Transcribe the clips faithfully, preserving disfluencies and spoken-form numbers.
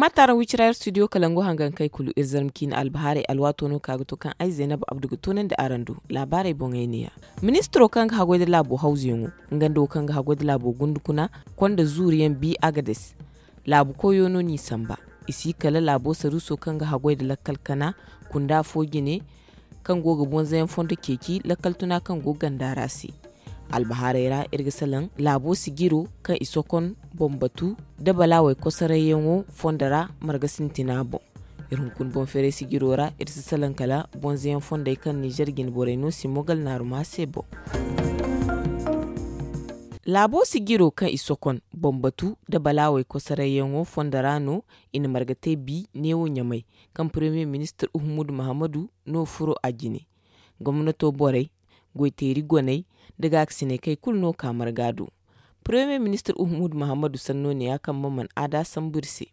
Maataaraŋ wicira iri studio kalangu hangankey kulu iri zarma ciine albahaarey alwaato no ka ga to kaŋ ay zaynab abdu ga toonandi araŋ do. Laabaarey boŋey ne- ya. Ministiro kaŋ ga haggoy nda laabo hawzuyaŋo, nga nda wo kaŋ ga haggoy nda laabo gundukuna, konda zuuriyaŋ bi agades. Laabu koyo no n'i samba. I si kala laabo saruuso kaŋ ga haggoy nda lakkal kana kunda fo jine, kaŋ go ga bonzayaŋ fondo ceeci lakkal tuna kaŋ go ganda ra se. Albahaarey ra iri ga salaŋ laabo sijiro kaŋ i sokon boŋ batu nda balaawey kosarayyaŋo fondo ra marga sintina boŋ. Iri hunkuna boŋ feeray sijiro ra iri si salaŋ kala bonzayaŋ fondey kaŋ nizer jine borey no si mogal naaruma se boŋ. Laabo sijiro kaŋ i sokon boŋ batu nda balaawey kosarayyaŋo fondo ra no i na marga te bi neewo ɲamay, kaŋ premier ministir uhumudu mahammadu no furo a jine. Gomnato borey, goyteeri goney, nda gaakasiney kay kulu no ka marga do. Premier ministir uhumudu mahammadu sanno ne ya kaŋ ma man aada sambu iri se.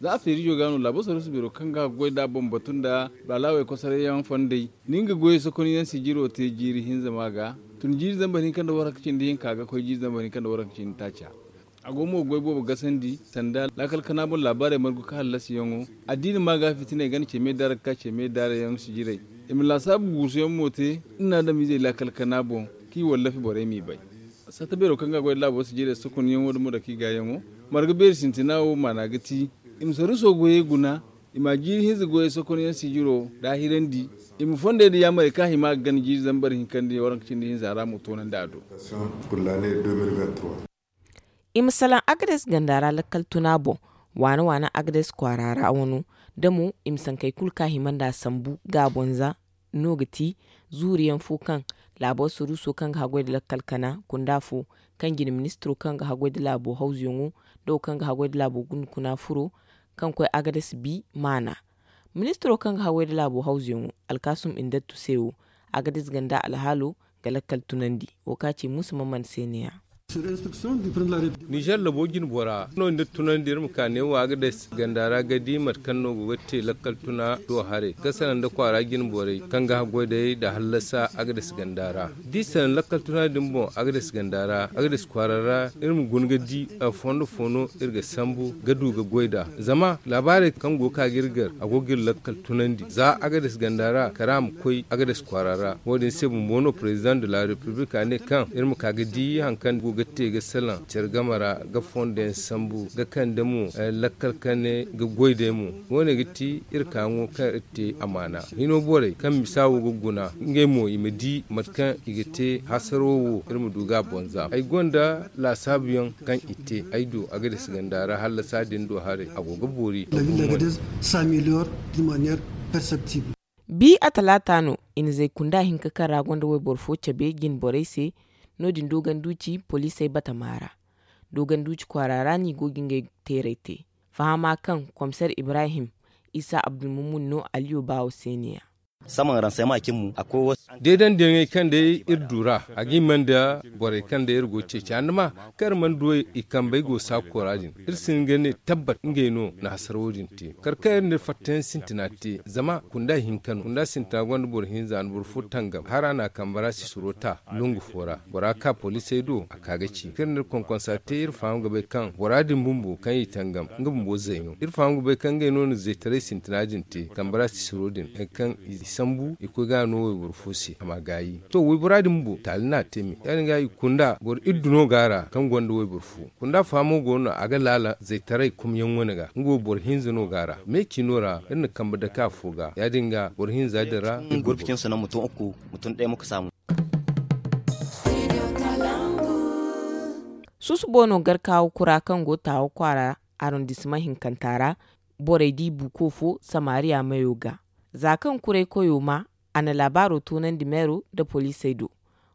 Za a feerijo ga no laabo saruusu beero kaŋ ga goy nd'a boŋ batu nda balaawey kosarayyaŋ fondey, ni nga goyey sokonyaŋ sijiro te jiiri hinza ma ga, tun jiiri zambar hinka nda waranka cindi hinka ga koy jiiri zambar hinka nda waranka cindi taaca. A go mo ga goy boobo gasandi sanda laakal kana boŋ laabaarey margu ka hallasiyaŋo. Addiini ma ga fitiney gana ce me daarak ka ce me daarayaŋ sijirey. I ma laasaabu guusuyaŋ mo te nda adamizey laakal kana boŋ, kaŋ i wallafi borey m'i bay. Satta beero kaŋ ga goy laabo sijirey sokonyaŋo da mo dake i gaayaŋo, marga beeri sintina wo maana ga ti i ma saruuso goyey guna, i ma jiiri hinza goyey sokonyaŋ sijiro daahirandi, i ma fondey nda yaamarey kaŋ a hima ga gana jiiri zambar hinka nda waranka cindi hinza ra mo toonandi a do. I ma salaŋ agades ganda ra lakkal tuna boŋ, waana waana agades kwaara ra wano, da mo i ma sankey kulu kaŋ a hima nd'a sambu gaabonza no ga ti zuuriyaŋ fo kaŋ laabo saruuso kaŋ ga haggoy nda lakkal kana kunda fo, kaŋ jine ministiro kaŋ ga haggoy nda laabo hawzuyaŋo, nda wo kaŋ ga haggoy nda laabo gundukuna furo, kaŋ koy agades bi maana. Ministiro kaŋ ga haggoy nda laabo hawzuyaŋo, alkaasum indattu se wo, agades ganda alhaalo ga lakkal tunandi. Wo kaŋ a ci muusa maman se ne- ya. Nizer labo jine bora no ni da tunandi iri ma ka neewo agades ganda ra ga di mate kaŋ no go ga te lakkal tuna do haray ga salaŋ nda kwaara jine borey kaŋ ga haggoy day nda hallasa agades ganda ra. Da i salaŋ lakkal tuna din boŋ agades ganda ra agades kwaara ra, iri ma guna ga di fondo fo no iri ga sambu ga du ga goy nd'a. Zama laabaarey kaŋ go ga ka ga iri gar a go ga iri lakkal tunandi za agades ganda ra kala a ma koy agades kwaara ra. Wo- din se bumbo no president de la republique a ne kaŋ iri ma ka ga di hari kaŋ go ga te ga salaŋ care game ra, ga fondo yaŋ sambu ga kande mo lakkal kane ga goy day mo. Wo- ne ga ti iri kaayaŋo kaŋ iri te amaana hino borey kaŋ misa wo ga guna ngey mo i ma di mate kaŋ i ga te hasaro wo iri ma du ga a bonza ay gonda laasaabu yaŋ kaŋ i te ay do agades ganda ra hallasa din do haray a go ga boori. Bi a talaata no i na zay kunda hinka kaŋ ra gonda wayboro fo cabe jine borey se. No- din dooganduuci poliisey batama ra dooganduuci kwaara ra no i go ga ngey teeray te. Fahama kaŋ komiseer ibrahim isa abdulmumun no aliyo baawo se ne- ya. Deedandiyaŋey kaŋ day iri du ra a ga hima nda borey kaŋ day iri go ga ceeci andama kaŋ iri mana du i kambey go saako ra din. Iri si hin ga ne tabbat ngey no na hasara wo- din te kala kaŋ iri na iri fattayaŋ sintina te zama kunda hinka no kunda sintina gonda boro hinza nda boro fo tangam hara na a kambe ra sisiro ta longu fo ra. Bora ka poliisey do a ka ga ci kaŋ iri na iri konkonsa te iri faham ga bay kaŋ bora din bumbo kaŋ i tangam nga bumbo zay no iri faham ga bay kaŋ ngey no na zaytaray sintina din te kambe ra sisiro din hari kaŋ i sambu i koy ga no wayboro fo se a ma gaayi to waybora din bumbo taali no a te me ya- din ga i kunda boro iddu no go a ra kaŋ gonda wayboro fo kunda fahamo go no a ga laala zaytaray kumyaŋ wane ga nga wo boro hinza no go a ra me ciino ra iri na kambe dake afo ga ya- din ga boro hinza din ra. Iri ga gurbi cin sanaŋ mutum uku mutum day mo ga saamu. Susubo no garkaawo kura kaŋ go taawo kwaara arondisimaŋ hinkanta ra borey di buuko fo samariya mayo ga. Za kaŋ kuray koyo ma a na laabaaro toonandi meero nda poliisey do.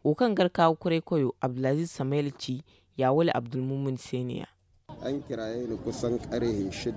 Wo kaŋ garkaawo kuray koyo abdulaziiz samayel ci yaawale abdulmumin se ne- ya.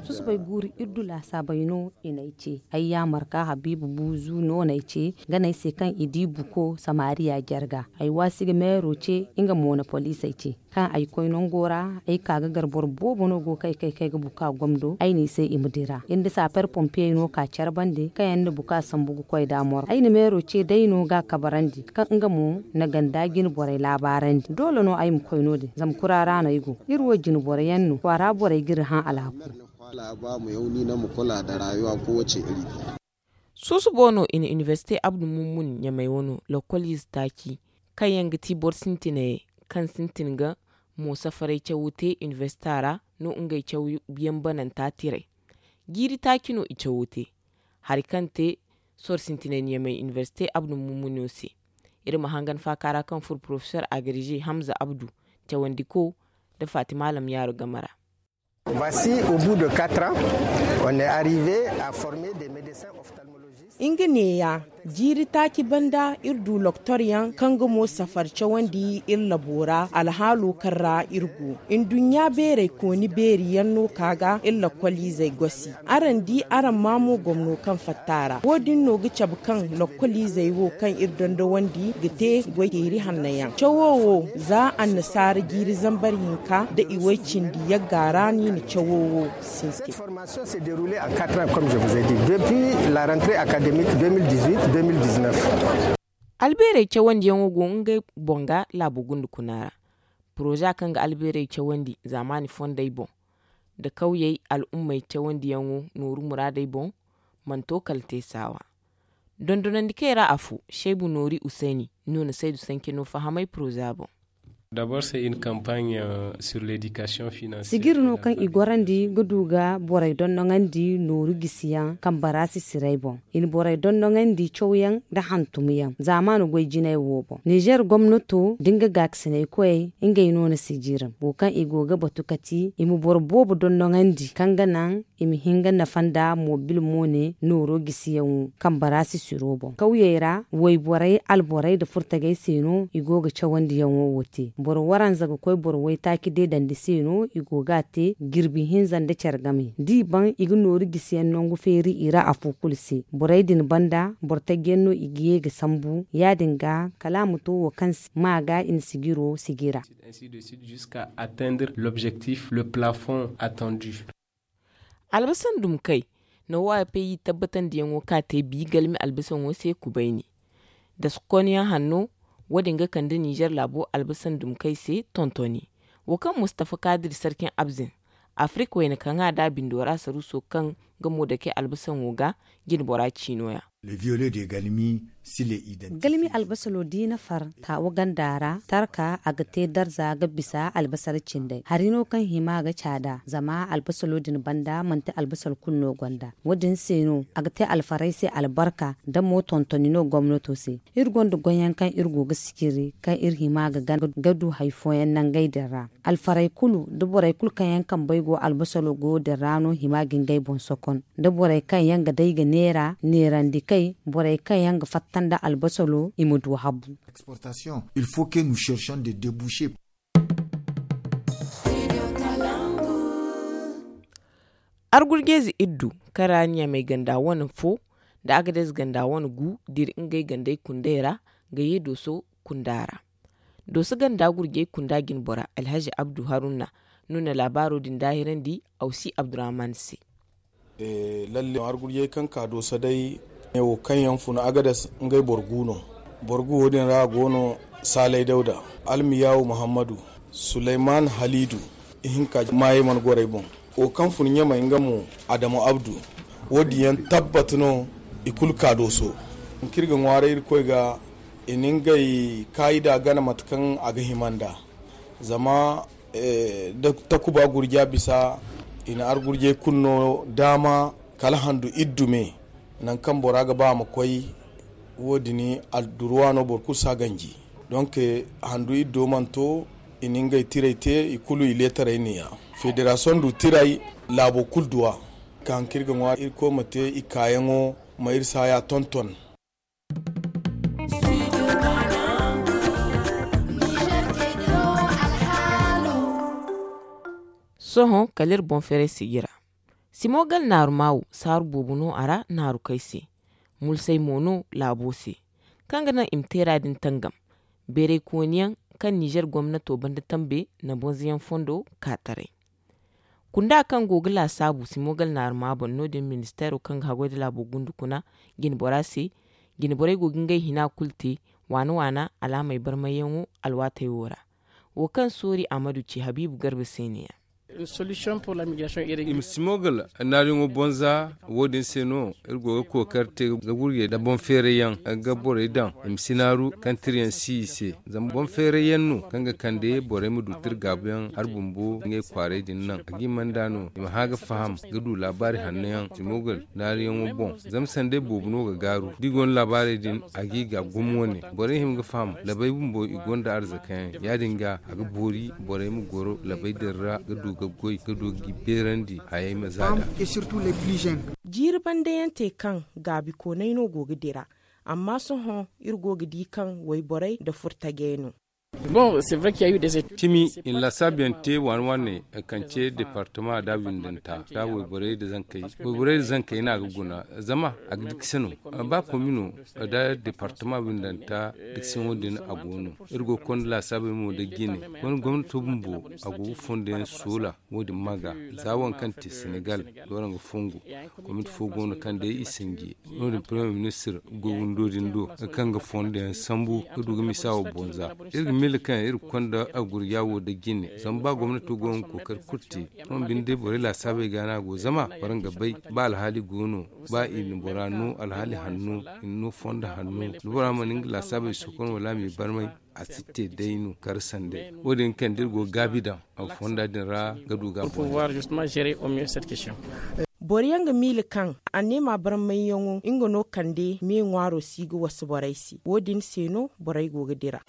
Susubay guuru iri du laasaabey no i n'ay ce ay yaamar ka habiibu buuzu no n'ay ce nga n'ay se kaŋ i di buko samariya jarga ay waasi ga meero ce nga mo na poliisey ce. Kaŋ ay koy nango ra, ay ka ga gar boro boobo no go kay kay kay ga buka gomdo ay n'i se i ma dira iri nda saaper pompiyey no ka care bande kaŋ yaŋ na buka sambu ga koy da moro ay na meero ce day no ga a kabarandi kaŋ nga mo na ganda jine borey laabaarandi doole no ay ma koy no- din zama kura ra no ay go. Iri wo jine boro yaŋ no kwaara borey ga iri hã alhaku. Suusubo no i na inibersite abdu mummun ɲamey wano lokoliize taaci kaŋ yaŋ ga ti boro sintinayey kaŋ sintin ga mo safaray cawo te inibersita ra no ngey cawo yaŋ bananta tiray. Jiiri taaci no i cawo te hari kaŋ te soro sintinay na ɲamey inibersite abdu mummuno se. Iri ma hangan faaka ra kaŋ furo porofesor agarize hamza abdu cawandiko nda fatima alamyaaro game ra. Voici au bout de quatre ans on est arrive à former des médecins ophtalmologistes. Nga neeya jiiri taaci banda iri du loktoryaŋ kaŋ ga mo safar cawandi iri labo ra alhaalo kaŋ ra iri go. Nduɲɲa beerey kooni beeri yaŋ no ka ga iri lokoliizey gosi. Araŋ di araŋ ma mo gomno kaŋ fatta ra wo- din no ga cabe kaŋ lokoliizey wo kaŋ iri dondowandi ga te goy teeri hanno yaŋ cawo wo za annasaara jiiri zambar hinka nda i way cindi yagga ra no i na cawo wo sintin. Albeerey cawandiyaŋo go ngey boŋ ga laabo gunda kuna ra. Poroza kaŋ ga albeerey cawandi zaamaani fondey boŋ nda kawyey al'ummey cawandiyaŋo nooru muraadey boŋ mana to kala te saawa. Dondonandi kay ra afo seebu noori usayni no na saydu sanke no fahamay poroza boŋ. Sijiri no kaŋ i gorandi ga du ga borey dondoŋandi nooru gisiyaŋ kambara sisirey boŋ. I na borey dondoŋandi cawyaŋ nda hantumyaŋ zaamaani goy jinay wo boŋ nizer gomnato da nga gaakasinay koyey ngey no na sijiri wo kaŋ i go ga batu kati i ma boro boobo dondoŋandi kaŋ ga naŋ i ma hin ga nafa nda mobil moone nooro gisiyaŋo kambara sisiro boŋ kawyey ra wayborey alborey nda furtagey se no i go ga cawandiyaŋo wo te boro waranza ga koy boro waytaaci deedandi se no i go ga a te jirbi hinza nda care game da i baŋ i ga nooru gisiyaŋ nangu feeri i ra afo kulu se borey din banda boro taji yaŋ no i ga ye ga sambu ya- din ga kala a ma to wo kaŋ se ma ga i na sijiro sijira. Albasan dumkey no wo a pay i tabbatandiyaŋo ka te bi galmi albasaŋo se kubayni. Daskon yaŋ hanno wo- din ga kande nizer laabo albasan dumkey se tontoni wo kaŋ mustafa kaadir sarkin abzin afirik wayna kaŋ a da bindo ra saruuso kaŋ ga mo dake albasaŋo ga jinbora ciino ya. Galmi albasalo da i na far taawa ganda ra tarka a ga te darza ga bisa albasar cindey hari no kaŋ hima ga caada zama albasalo din banda manti albasal kulu no gonda wo- din se no a ga te alfaray se albarka da mo tontoni no gomnato se. Iri gonda goyyaŋ kaŋ iri go ga sijiri kaŋ iri hima ga du hari fooyaŋ nangey din ra. Alfarey kulu nda borey kulu kaŋ yaŋ kambey go albasalo goyo din ra no hima ga ngey boŋ sokon nda borey kaŋ yaŋ ga day ga neera neerandi kay borey kaŋ yaŋ ga fatta nda albasalo i ma du habu. Argurjeeze iddu kaŋ ra ɲamey ganda wane fo nda agadez ganda wane gu diri ngey gandey kundey ra ga ye dooso kunda ra. Dooso ganda gurjey kunda jinbora alhazi abdu haruna no na laabaaro din daahirandi awsi abdurahman se. Lalle argurjey kaŋ ka dooso day ne wo kaŋ yaŋ fun agadez ngey boro gu no. Boro gu wo- din ra go no saalay dawda, almiyawu muhammadu, sulayman haliidu, ihinka maayey mana gorey boŋ. Wo kaŋ fun ɲamey nga mo adamu abdu. Wo- din yaŋ tabbat no i kulu ka dooso. Hunk'iri ga ŋwaaray irkoy ga i na ngey kaayida gana mate kaŋ a ga hima nd'a. Zama da takuba gurja bisa i na argurjey kulu no daama kala handu iddu me. Nangu kaŋ bora ga ba a ma koy wo- din adduruwa no boro kulu si a ganji. Donk handu iddo mana to i na ngey tiray te i kulu i leetaray neeya. Federasiyoŋ du tiray laabo kulu duw'a. Ka haŋ kaŋ iri ga ŋwa irkoy ma te i kaayaŋo ma iri saaya tonton. Sohõ kala iri boŋ feeray sijira. Simo gala naaru maawo saaru boobo no a ra naarukey se. Mulsay mo no laabo se kaŋ ga naŋ i ma teera din tangam. Beeraykooniyaŋ kaŋ nizer gomnato banda tambe na bonzayaŋ fondo ka taray. Kunda kaŋ go ga laasaabu simogal naaruma boŋ no- din ministeero kaŋ ga haggoy nda laabo gundu kuna jine bora se. Jine borey go ga ngey hina kulu te waana waana alaamey barmayyaŋo alwaatey wo ra. Wo kaŋ soori ahmadu ci habiibu garba se ne- ya. I ma simogal naariyaŋo bonza. Wo- din se no iri go ga kookari te ga gurjey nda boŋ feerayyaŋ ga borey daŋ i ma si naaru kaŋ tirayaŋ si i se. Zama boŋ feerayyaŋ no kaŋ ga kande borey ma du tira gaabuyaŋ hari bumbo ngey kwaaray din naŋ a ga i manda no i ma hã ga faham ga du laabaari hanno yaŋ simogal naariyaŋo boŋ. Zama sanday boobo no ga gaaru da i go no laabaarey din a ga i ga gumo wane borey hima ga faham labey bumbo i gonda arzakayaŋ ya- din ga a ga boori borey ma goro labey din ra ga du ga goy ga du ga i beerandi hayey ma za da. Jiiri bandayaŋ te kaŋ gaabikooney no go ga dira. Amma sohõ iri go ga di kaŋ wayborey nda furtajey no. Cimi i na laasaabuyaŋ te waane waane kaŋ ce departama da windanta da wayborey nda zankey. Wayborey nda zankey no a ga guna zama a ga dikse no. Ba komino nda departama windanta dikseyaŋo din a go no. Iri go ga konda laasaabey mo nda jine. Wani gomnato bumbo a go ga fondo yaŋ soola wo- din ma ga za waŋ kaŋ te senegal da waraŋ ga fongo. Komiti fo go no kaŋ day i sanje no- din premier ministir goy windo din do kaŋ ga fondo yaŋ sambu ga du ga misa wo bonza. Iri ga miila kaŋ iri ga konda a gurja wo da jine zama ba gomnato go ga kookari kulu te. Sohõ binde borey laasaabey ga no a go zama waraŋ ga bay ba alhaali go no ba i na bora no alhaali hanno i na no fondo hanno da bora mana nga laasaabey sokon wala a m'i barmay. A si te day no kar sanday wo- din kaŋ da iri go ga gaabi daŋ fonda din ra ga du ga a boŋ. Boro yaŋ ga miila kaŋ anneema barmayyaŋo nga no kande me ŋwaaro si ga wasu borey se wo- din se no borey go ga dira.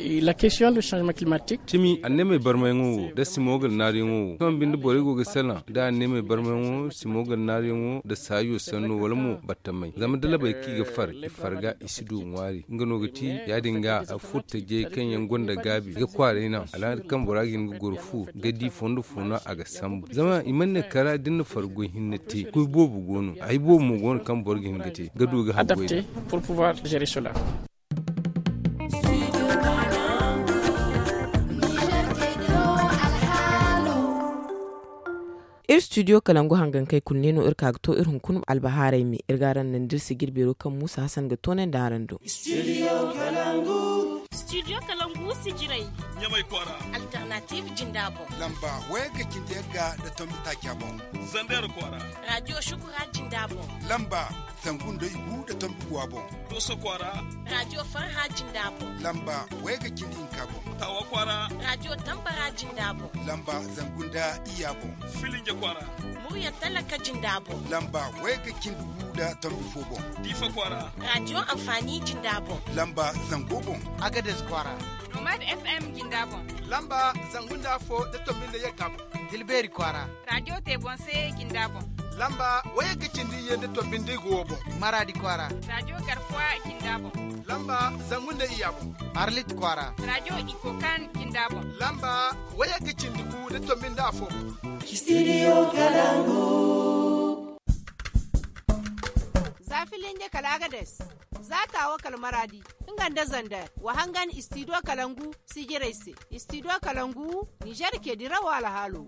Cimi anneemey barmayyaŋo wo nda simogal naariyaŋo wo sohõ binde borey go ga salaŋ nda anneemey barmayyaŋo simogal naariyaŋo nda saajo sanno wala mo battamay zama da labey kaŋ i ga far i farga i si du ŋwaari nga no ga ti ya- din ga furtajey kaŋ yaŋ gonda gaabi ga kwaaray naŋ alhaali kaŋ bora ga hin ga goro fu ga di fondo fo no a ga sambu zama i mana ne kara da ni na fargo hinne te kuy boobo go no ay boobo mo go no kaŋ boro ga hin ga te ga du ga haggoy da. Iri studio kalangu hangankey kulu ne no iri ka ga to iri hunkuna albahaaray me iri ga araŋ naŋ da iri sijir beero kaŋ muusa hasan ga toonandi araŋ do. Studio kalangu sijirey ɲamay kwaara. Alternative jinda boŋ lamba wayga cindi yagga nda tombi taaca boŋ. Zandar kwaara. Radio shukura jinda boŋ lamba zangu nda igu nda tombi guwa boŋ. Doso kwaara. Radio farha jinda boŋ lamba wayga cindi hinka boŋ. Tawa kwaara. Radio tambara jinda boŋ lamba zangu nda iya boŋ. Filinja kwaara. Murya talaka jinda boŋ lamba wayga cindi gu nda tombi fo boŋ. Difa kwaara. Radio amfani jinda boŋ lamba zango boŋ. Agades kwaara. Nomad FM jinda boŋ lamba zangu nda fo nda tombi nda yagga boŋ. Dilbeeri kwaara. Radio tebonse jinda boŋ lamba wayga cindi ye nda tombi nda igu wo boŋ. Maradi kwaara. Radio garkuwa jinda boŋ lamba zangu nda iya boŋ. Arlit kwaara. Radio ikokan jinda boŋ lamba wayga cindi gu nda tombi nda afo boŋ. Studio kalangu. Za filinje kala agades za tawo kala maradi nga nda zander wa hangan studio kalangu sijirey se. Studio kalangu nizer ke dirawo alhaalo.